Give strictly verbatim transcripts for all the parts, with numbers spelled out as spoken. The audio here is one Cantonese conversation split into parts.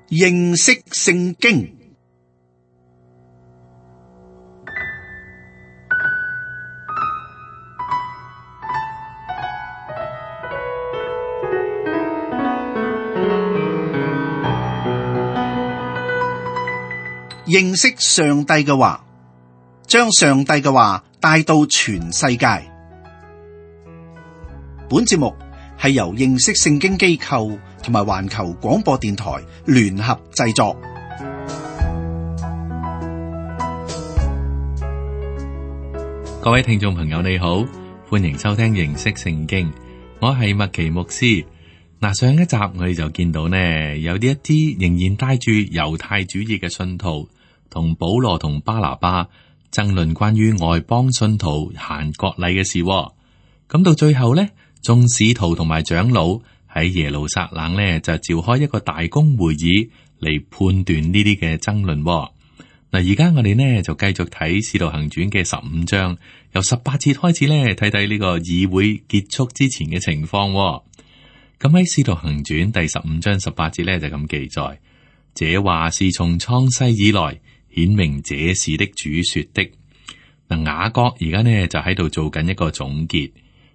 認識聖經。認識上帝嘅話，將上帝嘅話帶到全世界。本節目係由認識聖經機構同埋環球廣播電台聯合製作。各位聽眾朋友你好，歡迎收聽認識聖經，我係麥奇牧師。嗱，上一集我哋就見到呢，有啲一啲仍然帶住猶太主義嘅信徒，同保羅同巴拿巴爭論關於外邦信徒行割禮嘅事。咁到最後呢，眾使徒同埋長老喺耶路撒冷呢，就召開一個大公會議嚟判斷呢啲嘅爭論。嗱，而家我哋呢就繼續睇《使徒行傳》嘅十五章，由十八節開始呢，睇睇呢個議會結束之前嘅情況。咁喺《使徒行傳》第十五章十八節呢，就咁記載：這話是從創世以來顯明這事的主說的。嗱，雅各而家呢就喺度做緊一個總結，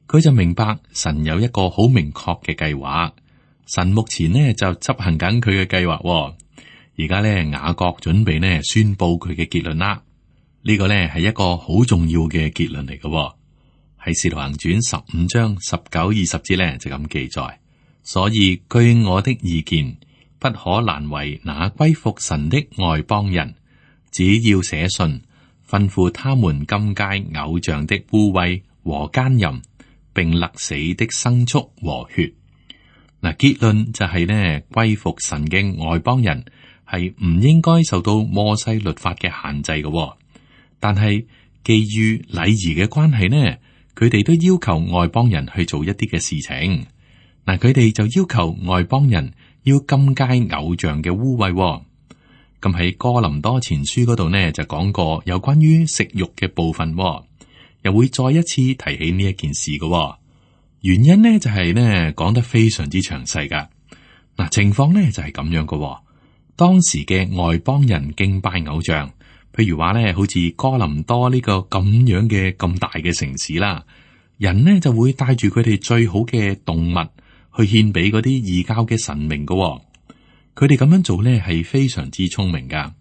佢就明白神有一個好明確嘅計劃，神目前呢就執行緊佢嘅計劃。而家呢，雅各準備呢宣布佢嘅結論啦。呢個呢係一個好重要嘅結論嚟嘅，喺《使徒行傳》十五章十九二十節呢就咁記載。所以據我的意見，不可難為那歸服神的外邦人，只要寫信吩咐他們禁戒偶像的污穢和奸淫，並勒死的牲畜和血。嗱，結論就係呢，歸服神嘅外邦人係唔應該受到摩西律法嘅限制嘅，但係基於禮儀嘅關係呢，佢哋都要求外邦人去做一啲嘅事情。嗱，佢哋就要求外邦人要禁戒偶像嘅污穢。咁喺哥林多前書嗰度呢，就講過有關於食肉嘅部分，又會再一次提起呢一件事嘅。原因呢就係呢講得非常之詳細噶。嗱，情況呢就係咁樣嘅。當時嘅外邦人敬拜偶像，譬如話呢，好似哥林多呢個咁樣嘅咁大嘅城市啦，人呢就會帶住佢哋最好嘅動物去獻俾嗰啲異教嘅神明嘅。佢哋咁樣做呢係非常之聰明噶。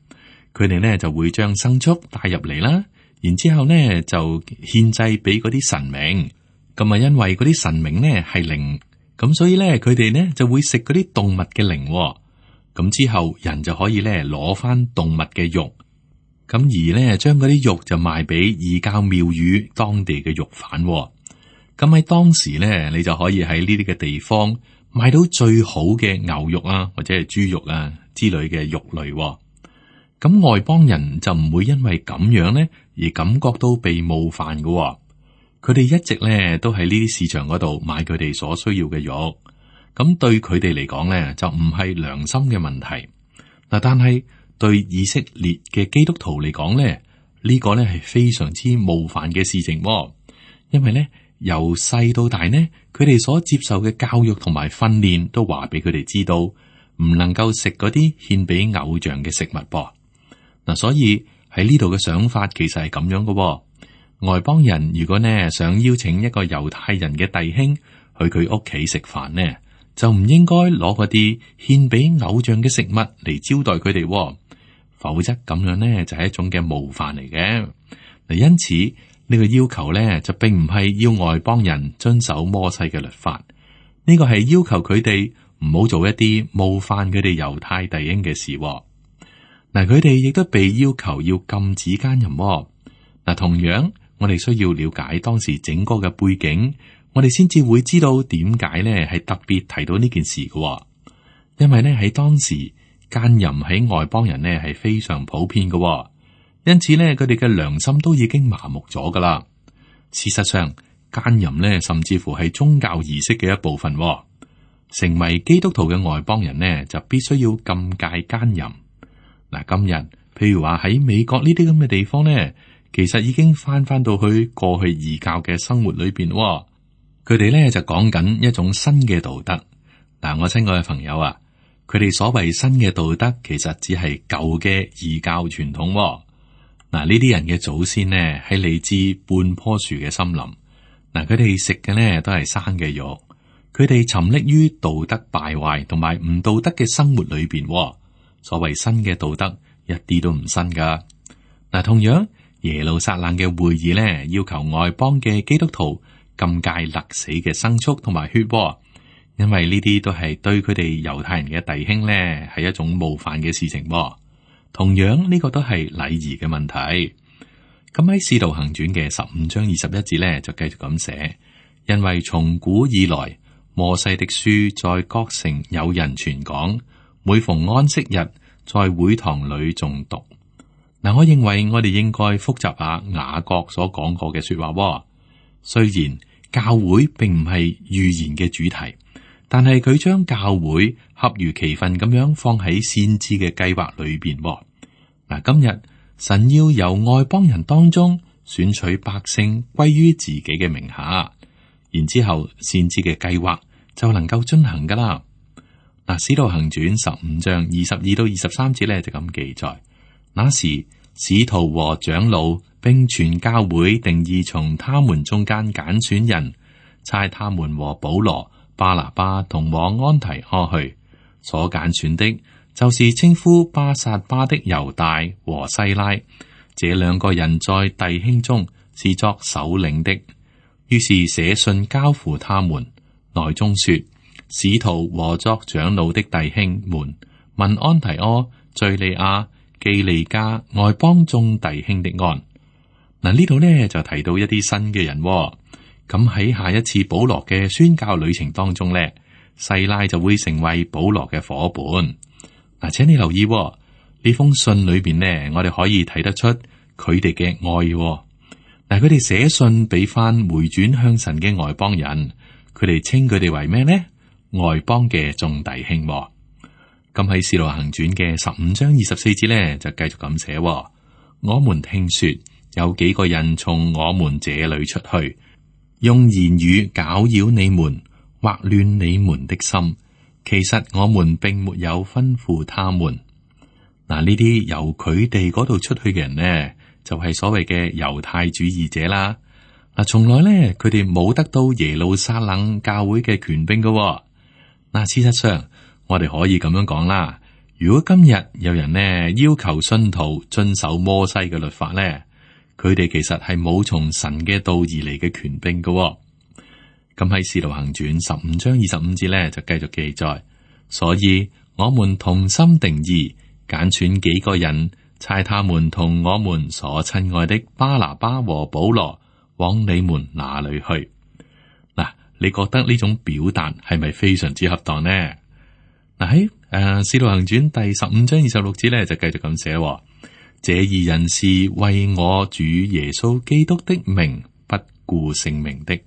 佢哋呢就會將牲畜帶入嚟啦，然之後呢就獻祭俾嗰啲神明。咁啊，因為嗰啲神明呢係靈，咁所以呢佢哋呢就會食嗰啲動物嘅靈。咁之後人就可以呢攞翻動物嘅肉，咁而呢將嗰啲肉就賣俾異教廟宇當地嘅肉販。咁喺當時咧，你就可以喺呢啲嘅地方買到最好嘅牛肉啊，或者係豬肉啊之類嘅肉類。咁外邦人就唔會因為咁樣咧而感覺到被冒犯嘅。佢哋一直咧都喺呢啲市場嗰度買佢哋所需要嘅肉。咁對佢哋嚟講咧，就唔係良心嘅問題嗱。但係對以色列嘅基督徒嚟講咧，呢個咧係非常之冒犯嘅事情，因為咧。由細到大呢，佢哋所接受嘅教育同埋訓練都話俾佢哋知道，唔能夠食嗰啲獻俾偶像嘅食物噃。嗱，所以喺呢度嘅想法其實係咁樣嘅。外邦人如果呢想邀請一個猶太人嘅弟兄去佢屋企食飯呢，就唔應該攞嗰啲獻俾偶像嘅食物嚟招待佢哋，否則咁樣呢就係一種嘅冒犯嚟嘅。嗱，因此。呢個要求咧就並唔係要外邦人遵守摩西嘅律法，呢個係要求佢哋唔好做一啲冒犯佢哋猶太弟兄嘅事。嗱，佢哋亦都被要求要禁止奸淫。嗱，同樣我哋需要了解當時整個嘅背景，我哋先至會知道點解咧係特別提到呢件事嘅。因為咧喺當時奸淫喺外邦人咧係非常普遍嘅。因此咧，佢哋嘅良心都已經麻木咗噶啦。事實上，奸淫咧，甚至乎係宗教儀式嘅一部分。成為基督徒嘅外邦人呢，就必須要禁戒奸淫。嗱，今日譬如話喺美國呢啲咁嘅地方呢，其實已經翻翻到去過去異教嘅生活裏邊。佢哋咧就講緊一種新嘅道德。嗱，我親愛嘅朋友啊，佢哋所謂新嘅道德，其實只係舊嘅異教傳統喎。嗱，呢啲人嘅祖先呢，係嚟自半棵樹嘅森林。嗱，佢哋食嘅呢都係生嘅肉。佢哋沉溺於道德敗壞同埋唔道德嘅生活裏邊。所謂新嘅道德，一啲都唔新噶。嗱，同樣耶路撒冷嘅會議呢，要求外邦嘅基督徒禁戒勒死嘅牲畜同埋血喎。因為呢啲都係對佢哋猶太人嘅弟兄呢，係一種冒犯嘅事情。同樣呢個都係禮儀嘅問題。咁喺《使徒行傳》嘅十五章二十一節呢，就繼續咁寫：因為從古以來，摩西的書在各城有人傳講，每逢安息日，在會堂裏誦讀。嗱，我認為我哋應該複習下雅各所講過嘅說話。雖然教會並唔係預言嘅主題，但係佢將教會恰如其分咁樣放喺先知嘅計劃裏邊。嗱，今日神要由外邦人當中選取百姓歸於自己嘅名下，然之後先知嘅計劃就能夠進行噶啦。嗱，《使徒行傳》十五章二十二到二十三節咧就咁記載：那時使徒和長老並全教會定義從他們中間揀選人，差他們和保羅、巴拿巴同往安提阿去。所揀選的，就是稱呼巴撒巴的猶大和西拉，這兩個人在弟兄中是作首領的。於是寫信交付他們，內中說：使徒和作長老的弟兄們，問安提阿、敘利亞、基利家外邦眾弟兄的安。嗱，呢度呢就提到一啲新嘅人、哦。咁喺下一次保羅嘅宣教旅程當中呢，西拉就會成為保羅嘅伙伴。嗱，請你留意呢、哦、封信裏邊呢，我哋可以睇得出佢哋嘅愛、哦。嗱，佢哋寫信俾翻回轉向神嘅外邦人，佢哋稱佢哋為咩呢？外邦嘅眾弟兄、哦。咁喺《使徒行傳》嘅十五章二十四節呢，就繼續咁寫、哦：我們聽說有幾個人從我們這裏出去，用言語攪擾你們，惑亂你們的心。其實我們並沒有吩咐他們。嗱，呢啲由佢哋嗰度出去嘅人呢，就係、是、所謂嘅猶太主義者啦。嗱，從來呢，佢哋冇得到耶路撒冷教會嘅權柄噶。嗱，事實上，我哋可以咁樣講啦。如果今日有人呢要求信徒遵守摩西嘅律法呢，佢哋其實係冇從神嘅道而嚟嘅權柄噶。咁喺《使徒行傳》十五章二十五節咧，就繼續記載。所以我們同心定意，揀選幾個人，差他們同我們所親愛的巴拿巴和保羅往你們那裏去。嗱，你覺得呢種表達係咪非常之恰當呢？嗱，喺誒《使徒行傳》第十五章二十六節咧，就繼續咁寫：這二人是為我主耶穌基督的名不顧性命的。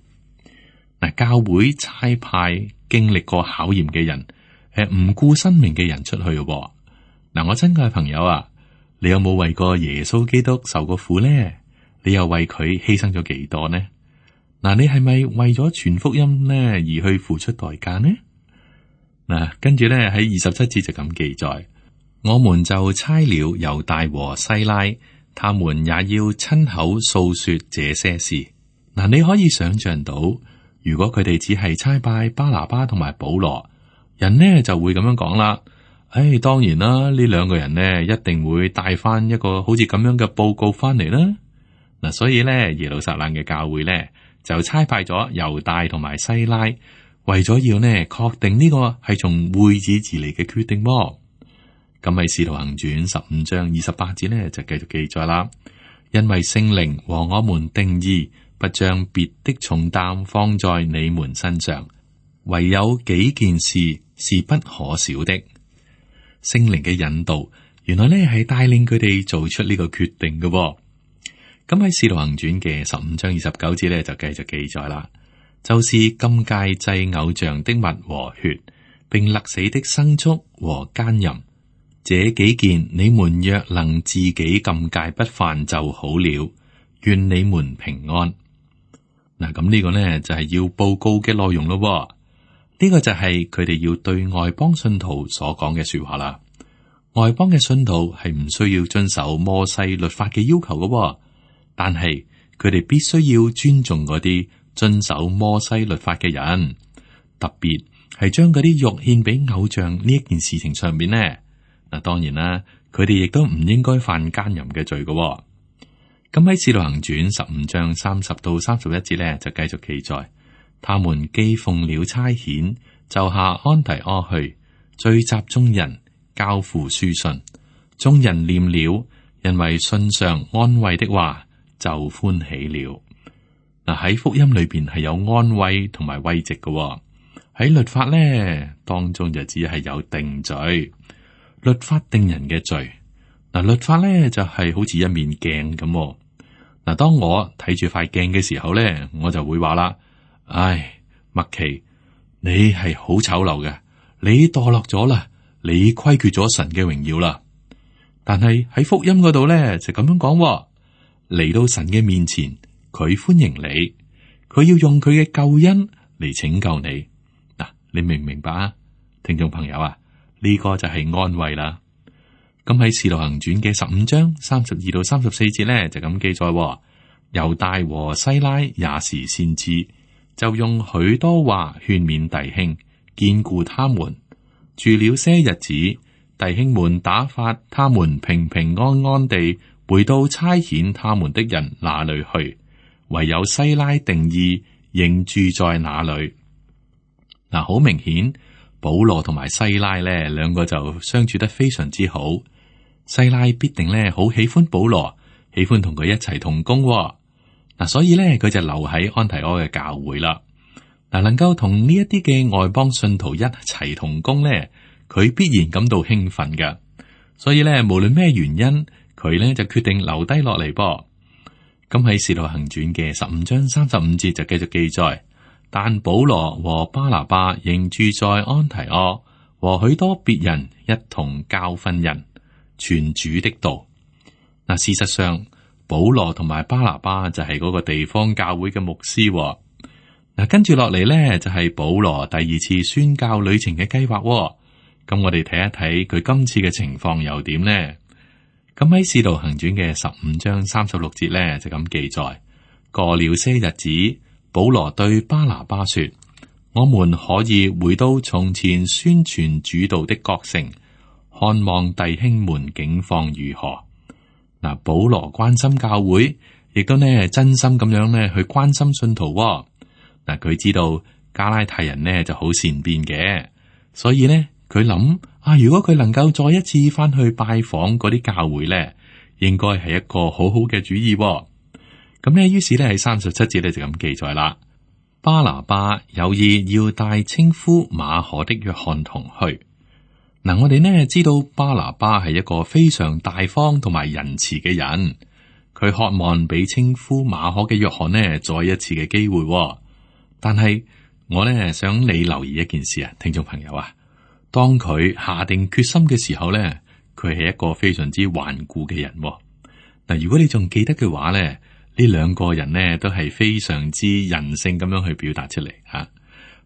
嗱，教會差派經歷過考驗嘅人，誒唔顧生命嘅人出去嘅。嗱，我親愛嘅朋友啊，你有冇為過耶穌基督受過苦呢？你又為佢犧牲咗幾多呢？嗱，你係咪為咗傳福音呢而去付出代價呢？嗱，跟住咧喺二十七節就咁記載，我們就差了猶大和西拉，他們也要親口訴說這些事。嗱，你可以想象到。如果佢哋只係差派巴拿巴同埋保羅，人呢就會咁樣講啦。唉、哎，當然啦，呢兩個人呢一定會帶翻一個好似咁樣嘅報告翻嚟啦。嗱，所以呢，耶路撒冷嘅教會呢就差派咗猶大同埋西拉，為咗要呢確定呢個係從會議而嚟嘅決定喎。咁喺《使徒行傳》十五章二十八節呢就繼續記載啦，因為聖靈和我們定義。不將別的重擔放在你們身上，唯有幾件事是不可少的。聖靈嘅引導，原來呢係帶領佢哋做出呢個決定嘅。咁喺《使徒行傳》嘅十五章二十九節呢，就繼續記載啦，就是禁戒祭偶像的物和血，並勒死的牲畜和奸淫，這幾件你們若能自己禁戒不犯就好了。願你們平安。嗱，咁呢個呢就係要報告嘅內容咯。呢個就係佢哋要對外邦信徒所講嘅說話啦。外邦嘅信徒係唔需要遵守摩西律法嘅要求嘅，但係佢哋必須要尊重嗰啲遵守摩西律法嘅人，特別係將嗰啲肉獻俾偶像呢一件事情上面呢。嗱，當然啦，佢哋亦都唔應該犯奸淫嘅罪嘅。咁喺《使徒行傳》十五章三十到三十一節呢，就繼續記載，他們既奉了差遣，就下安提阿去，聚集眾人，交付書信，眾人念了，因為信上安慰的話，就歡喜了。嗱，喺福音裏邊係有安慰同埋慰藉嘅，喺律法咧當中就只係有定罪，律法定人嘅罪。嗱，律法咧就係好似一面鏡咁。嗱，當我睇住塊鏡嘅時候咧，我就會話啦：唉，麥奇，你係好醜陋嘅，你墮落咗啦，你虧缺咗神嘅榮耀啦。但係喺福音嗰度咧就咁樣講，嚟到神嘅面前，佢歡迎你，佢要用佢嘅救恩嚟拯救你。嗱，你明唔明白啊，聽眾朋友啊？呢個就係安慰啦。咁喺《使徒行傳》嘅十五章三十二到三十四節咧，就咁記載：猶大和西拉也是先知，就用許多話勸勉弟兄，堅固他們。住了些日子，弟兄們打發他們平平安安地回到差遣他們的人那裏去，唯有西拉定意仍住在那裏。嗱，好明顯，保羅同埋西拉咧兩個就相處得非常之好。西拉必定咧好喜歡保羅，喜歡同佢一齊同工。嗱，所以咧佢就留喺安提阿嘅教會啦。嗱，能夠同呢一啲嘅外邦信徒一齊同工咧，佢必然感到興奮㗎。所以咧，無論咩原因，佢咧就決定留低落嚟噃。咁喺《使徒行傳》嘅十五章三十五節就繼續記載，但保羅和巴拿巴仍住在安提阿，和許多別人一同教訓人，傳主的道。嗱，事實上，保羅同埋巴拿巴就係嗰個地方教會嘅牧師。嗱，跟住落嚟咧就係保羅第二次宣教旅程嘅計劃。咁我哋睇一睇佢今次嘅情況又點呢？咁喺《使徒行傳》嘅十五章三十六節咧就咁記載：過了些日子，保羅對巴拿巴說：我們可以回到從前宣傳主道的各城，看望弟兄們境況如何。嗱，保羅關心教會，亦都呢真心咁樣呢去關心信徒。嗱，佢知道加拉太人呢就好善變嘅，所以呢佢諗啊，如果佢能夠再一次翻去拜訪嗰啲教會呢，應該係一個好好嘅主意。咁呢，於是呢喺三十七節呢就咁記載啦。巴拿巴有意要帶稱呼馬可的約翰同去。嗱，我哋呢知道巴拿巴係一個非常大方同埋仁慈嘅人，佢渴望俾稱呼馬可嘅約翰呢再一次嘅機會。但係我呢想你留意一件事啊，聽眾朋友啊，當佢下定決心嘅時候呢，佢係一個非常之頑固嘅人。嗱，如果你仲記得嘅話呢，呢兩個人呢都係非常之人性咁樣去表達出嚟吓。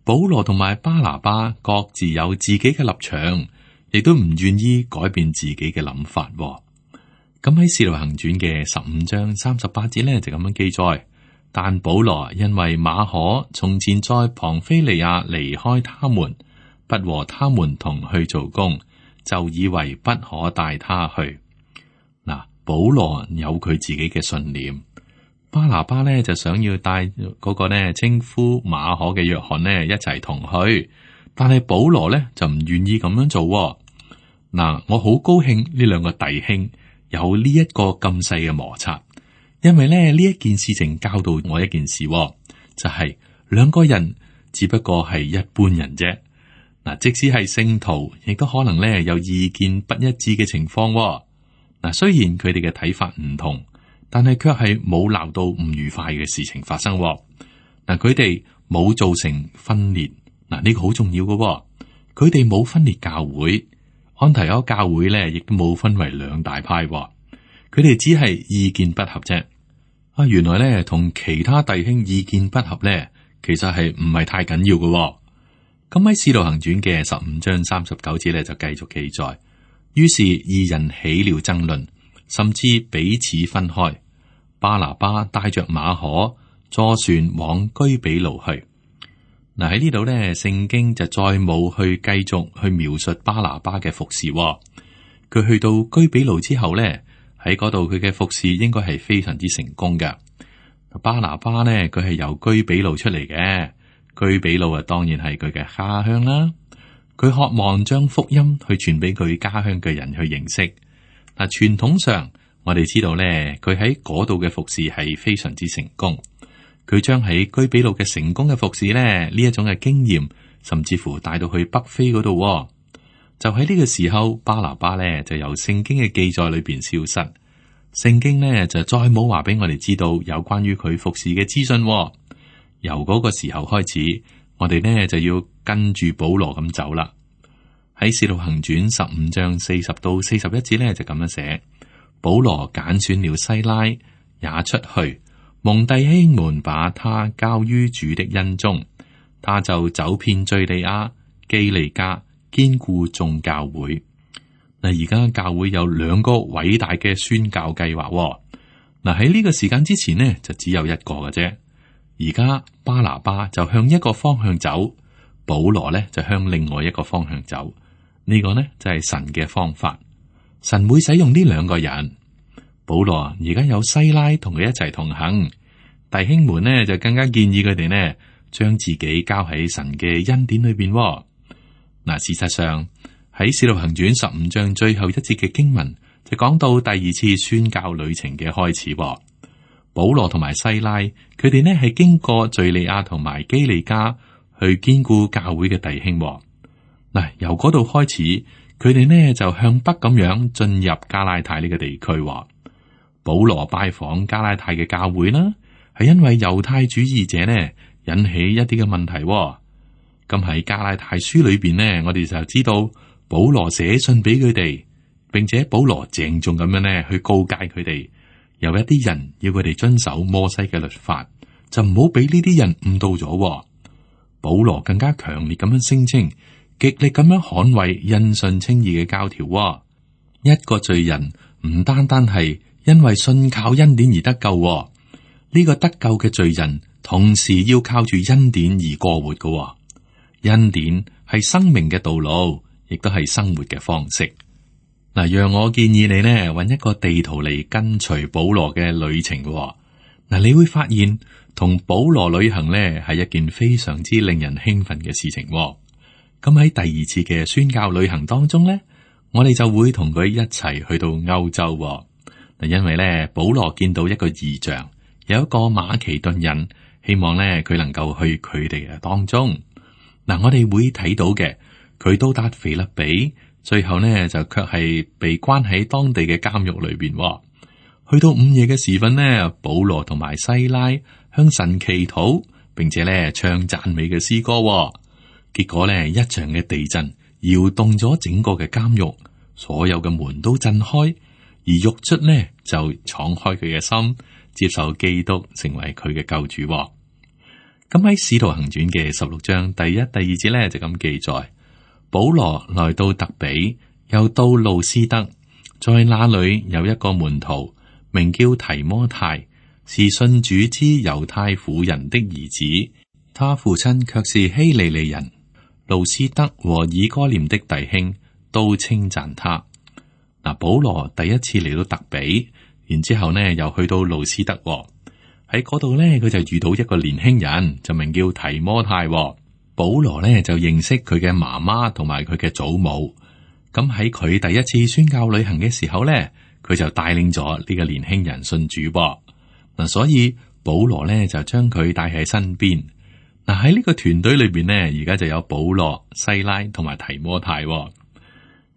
保羅同埋巴拿巴各自有自己嘅立場，亦都唔願意改變自己嘅諗法。咁喺《使徒行傳》嘅十五章三十八節呢，就咁樣記載。但保羅因為馬可從前在龐菲利亞離開他們，不和他們同去做工，就以為不可帶他去。嗱，保羅有佢自己嘅信念，巴拿巴呢就想要帶嗰個呢稱呼馬可嘅約翰呢一齊同去，但係保羅呢就唔願意咁樣做。嗱，我好高興呢兩個弟兄有呢一個咁細嘅摩擦。因為咧呢一件事情教導我一件事，就係兩個人只不過係一般人啫。嗱，即使係聖徒，亦都可能咧有意見不一致嘅情況。嗱，雖然佢哋嘅睇法唔同，但係卻係冇鬧到唔愉快嘅事情發生。嗱，佢哋冇造成分裂。嗱，呢個好重要嘅。佢哋冇分裂教會，安提阿教會咧亦都冇分為兩大派。佢哋只係意見不合啫。啊，原來咧同其他弟兄意見不合咧，其實係唔係太緊要嘅。咁喺《使徒行傳》嘅十五章三十九節咧就繼續記載，於是二人起了爭論，甚至彼此分開。巴拿巴帶着馬可坐船往居比路去。嗱，喺呢度咧，聖經就再冇去繼續去描述巴拿巴嘅服侍。佢去到居比路之後咧，喺嗰度佢嘅服侍應該係非常之成功嘅。巴拿巴呢，佢係由居比路出嚟嘅。居比路啊，當然係佢嘅家鄉啦。佢渴望將福音去傳俾佢家鄉嘅人去認識。嗱，傳統上我哋知道咧，佢喺嗰度嘅服侍係非常之成功。佢將喺居比路嘅成功嘅服侍咧，呢一種嘅經驗，甚至乎帶到去北非嗰度。就喺呢個時候，巴拿巴咧就由聖經嘅記載裏邊消失。聖經呢，就再冇話俾我哋知道有關於佢服侍嘅資訊。由嗰個時候開始，我哋呢就要跟住保羅咁走啦。喺《使徒行傳》十五章四十到四十一節呢，就咁樣寫：保羅揀選了西拉，也出去，蒙弟兄們把他交於主的恩中，他就走遍敘利亞、基利家，堅固眾教會。嗱，而家教會有兩個偉大嘅宣教計劃。嗱，喺呢個時間之前呢，就只有一個嘅啫。而家巴拿巴就向一個方向走，保羅呢就向另外一個方向走。呢個呢就係神嘅方法，神會使用呢兩個人。保羅而家有西拉同佢一齊同行，弟兄們呢就更加建議佢哋呢將自己交喺神嘅恩典裏邊。嗱，事實上喺《使徒行傳》十五章最後一節嘅經文就講到第二次宣教旅程嘅開始。保羅同埋西拉，佢哋呢係經過敘利亞同埋基利家去堅固教會嘅弟兄。嗱，由嗰度開始，佢哋呢就向北咁樣進入加拉太呢個地區。保羅拜訪加拉太嘅教會啦，係因為猶太主義者呢引起一啲嘅問題。咁喺加拉太書裏邊呢，我哋就知道保羅寫信俾佢哋，並且保羅鄭重咁樣呢去告誡佢哋。有一啲人要佢哋遵守摩西嘅律法，就唔好俾呢啲人誤導咗。保羅更加強烈咁樣聲稱，極力咁樣捍衛因信稱義嘅教條。一個罪人唔單單係因為信靠恩典而得救，呢個得救嘅罪人同時要靠住恩典而過活嘅。恩典係生命嘅道路，亦都係生活嘅方式。嗱，讓我建議你呢，揾一個地圖嚟跟隨保羅嘅旅程嘅。嗱，你會發現同保羅旅行呢係一件非常之令人興奮嘅事情。咁喺第二次嘅宣教旅行當中呢，我哋就會同佢一齊去到歐洲。嗱，因為呢，保羅見到一個異象，有一個馬其頓人，希望呢佢能夠去佢哋嘅當中。嗱，我哋會睇到嘅，佢到達腓立比。最後呢，就卻係被關喺當地嘅監獄裏邊。去到午夜嘅時分呢，保羅同埋西拉向神祈禱，並且咧唱讚美嘅詩歌。結果呢，一場嘅地震搖動咗整個嘅監獄，所有嘅門都震開，而獄卒呢就敞開佢嘅心，接受基督成為佢嘅救主。咁喺《使徒行傳》嘅十六章第一、第二節呢，就咁記載。保羅來到特比，又到路斯德，在那裏有一個門徒，名叫提摩太，是信主之猶太婦人的兒子，他父親卻是希利尼人。路斯德和以哥念的弟兄都稱讚他。嗱，保羅第一次嚟到特比，然之後呢又去到路斯德，喺嗰度呢，佢就遇到一個年輕人，就名叫提摩太。保羅呢就認識佢嘅媽媽同埋佢嘅祖母，咁喺佢第一次宣教旅行嘅時候呢，佢就帶領咗呢個年輕人信主噃。嗱，所以保羅呢就將佢帶喺身邊。嗱，喺呢個團隊裏邊呢，而家就有保羅、西拉同埋提摩太。咁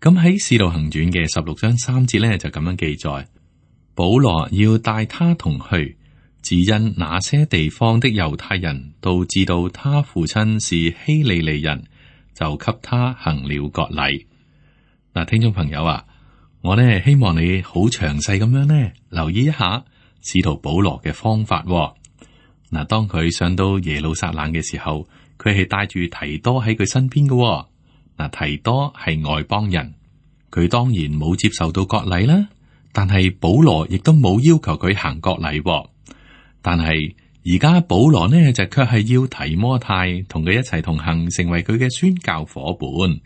喺使徒行傳嘅十六章三節呢，就咁樣記載，保羅要帶他同去。只因那些地方的猶太人都知道他父親是希利尼人，就給他行了割禮。嗱，聽眾朋友啊，我呢希望你好詳細咁樣呢留意一下使徒保羅嘅方法。嗱，當佢上到耶路撒冷嘅時候，佢係帶住提多喺佢身邊嘅。嗱，提多係外邦人，佢當然冇接受到割禮啦。但係保羅亦都冇要求佢行割禮。但係而家保羅呢就卻係要提摩太同佢一齊同行，成為佢嘅宣教夥伴。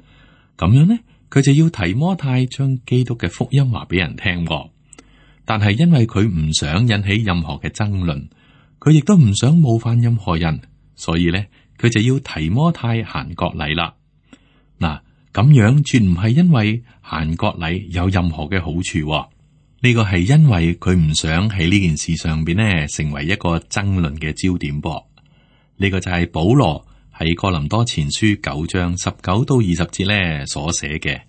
咁樣呢，佢就要提摩太將基督嘅福音話俾人聽。但係因為佢唔想引起任何嘅爭論，佢亦都唔想冒犯任何人，所以呢，佢就要提摩太行割禮啦。嗱，咁樣絕唔係因為行割禮有任何嘅好處。呢個係因為佢唔想喺呢件事上邊呢成為一個爭論嘅焦點噃。呢個就係保羅喺哥林多前書九章十九到二十節呢所寫嘅：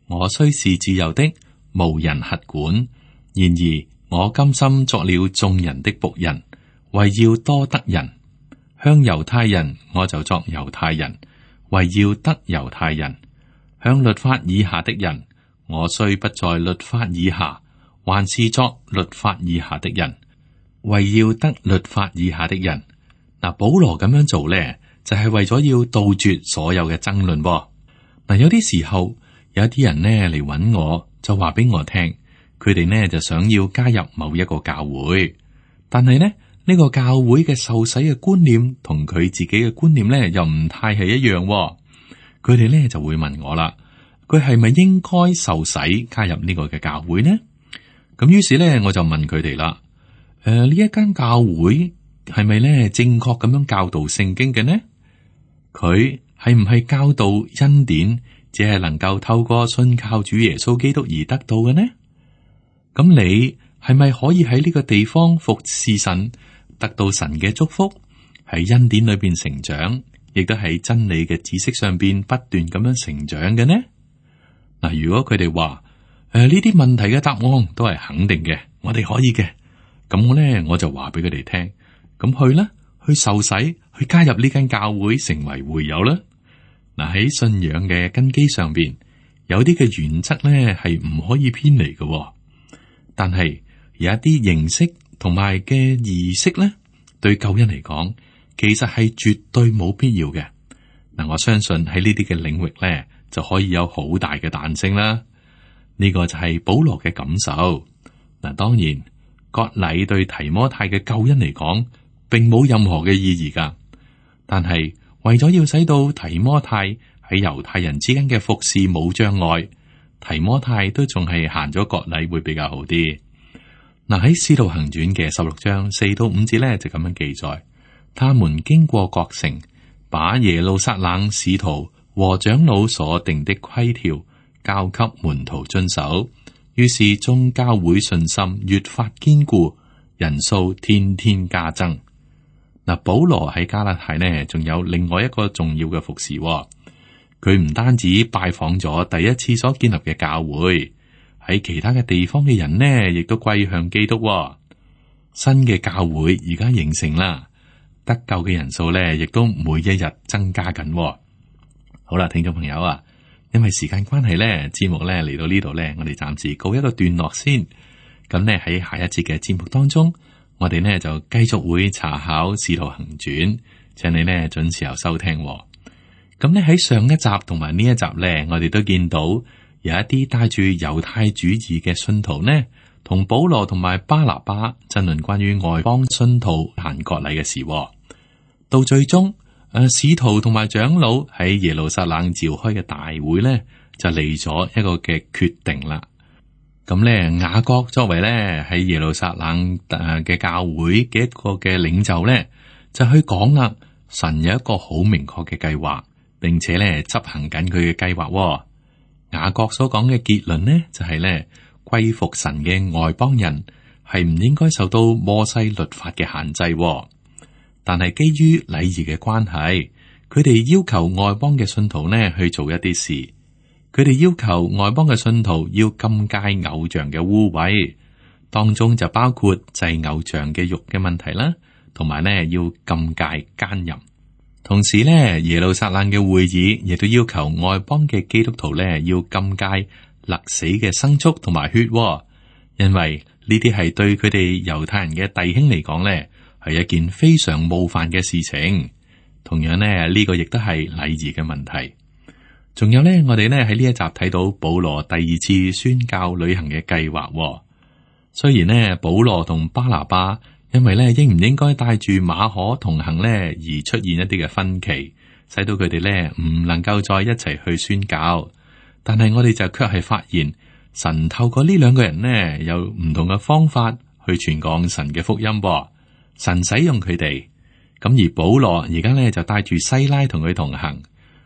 我雖是自由的，無人轄管；然而我甘心作了眾人的僕人，為要多得人。向猶太人我就作猶太人，為要得猶太人；向律法以下的人，我雖不在律法以下，還是作律法以下的人，為要得律法以下的人。嗱，保羅咁樣做咧，就係、是、為咗要杜絕所有嘅爭論。嗱，有啲時候有啲人呢嚟揾我，就話俾我聽，佢哋呢就想要加入某一個教會，但係呢呢、呢個教會嘅受洗嘅觀念同佢自己嘅觀念呢又唔太係一樣。佢哋呢就會問我啦，佢係咪應該受洗加入呢個嘅教會呢？咁於是咧，我就問佢哋啦，誒、呃，呢一間教會係咪咧正確咁樣教導聖經嘅呢？佢係唔係教導恩典，只係能夠透過信靠主耶穌基督而得到嘅呢？咁你係咪可以喺呢個地方服侍神，得到神嘅祝福，喺恩典裏邊成長，亦都喺真理嘅知識上邊不斷咁樣成長嘅呢？嗱，如果佢哋話，誒，呢啲問題嘅答案都係肯定嘅，我哋可以嘅。咁我咧，我就話俾佢哋聽，咁去啦，去受洗，去加入呢間教會，成為會友啦。嗱，喺信仰嘅根基上邊，有啲嘅原則咧係唔可以偏離嘅。但係有一啲形式同埋嘅儀式咧，對救恩嚟講，其實係絕對冇必要嘅。嗱，我相信喺呢啲嘅領域咧，就可以有好大嘅彈性啦。呢個就係保羅嘅感受。嗱，當然割禮對提摩太嘅救恩嚟講，並冇任何嘅意義噶。但係為咗要使到提摩太喺猶太人之間嘅服侍冇障礙，提摩太都仲係行咗割禮會比較好啲。嗱，喺《使徒行傳》嘅十六章四到五節咧就咁樣記載，他們經過各城，把耶路撒冷使徒和長老所定的規條交給門徒遵守，於是眾教會信心越發堅固，人數天天加增。嗱，保羅喺加拉太呢，仲有另外一個重要嘅服侍。佢唔單止拜訪咗第一次所建立嘅教會，喺其他嘅地方嘅人呢，亦都歸向基督。新嘅教會而家形成啦，得救嘅人數呢，亦都每一日增加緊。好啦，聽眾朋友啊。因為時間關係咧，節目咧嚟到呢度咧，我哋暫時告一個段落先。咁咧喺下一節嘅節目當中，我哋呢就繼續會查考《使徒行傳》，請你呢準時候收聽。咁咧喺上一集同埋呢一集咧，我哋都見到有一啲帶住猶太主義嘅信徒呢，同保羅同埋巴拿巴爭論關於外邦信徒行割禮嘅事。到最終。誒，使徒同埋長老喺耶路撒冷召開嘅大會咧，就嚟咗一個嘅決定啦。咁咧，雅各作為咧喺耶路撒冷誒嘅教會嘅一個嘅領袖咧，就去講啦。神有一個好明確嘅計劃，並且咧執行緊佢嘅計劃。雅各所講嘅結論呢，就係咧歸服神嘅外邦人係唔應該受到摩西律法嘅限制。但係基於禮儀嘅關係，佢哋要求外邦嘅信徒呢去做一啲事。佢哋要求外邦嘅信徒要禁戒偶像嘅污穢，當中就包括祭偶像嘅肉嘅問題啦，同埋呢要禁戒奸淫。同時呢，耶路撒冷嘅會議亦都要求外邦嘅基督徒呢要禁戒勒死嘅牲畜同埋血，因為呢啲係對佢哋猶太人嘅弟兄嚟講呢，係一件非常冒犯嘅事情。同樣呢，呢個亦都係禮儀嘅問題。仲有呢，我哋呢喺呢一集睇到保羅第二次宣教旅行嘅計劃。雖然呢，保羅同巴拿巴因為呢應唔應該帶住馬可同行呢而出現一啲嘅分歧，使到佢哋呢唔能夠再一齊去宣教。但係我哋就卻係發現，神透過呢兩個人呢有唔同嘅方法去傳講神嘅福音。神使用佢哋。咁而保羅而家咧就帶住西拉同佢同行，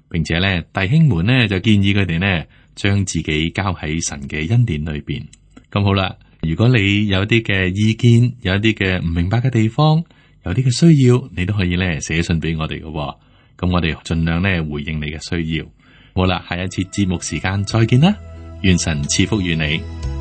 並且咧弟兄們呢就建議佢哋呢將自己交喺神嘅恩典裏邊。咁好啦，如果你有啲嘅意見，有一啲嘅唔明白嘅地方，有啲嘅需要，你都可以咧寫信俾我哋嘅。咁我哋盡量咧回應你嘅需要。好啦，下一次節目時間再見啦，願神賜福於你。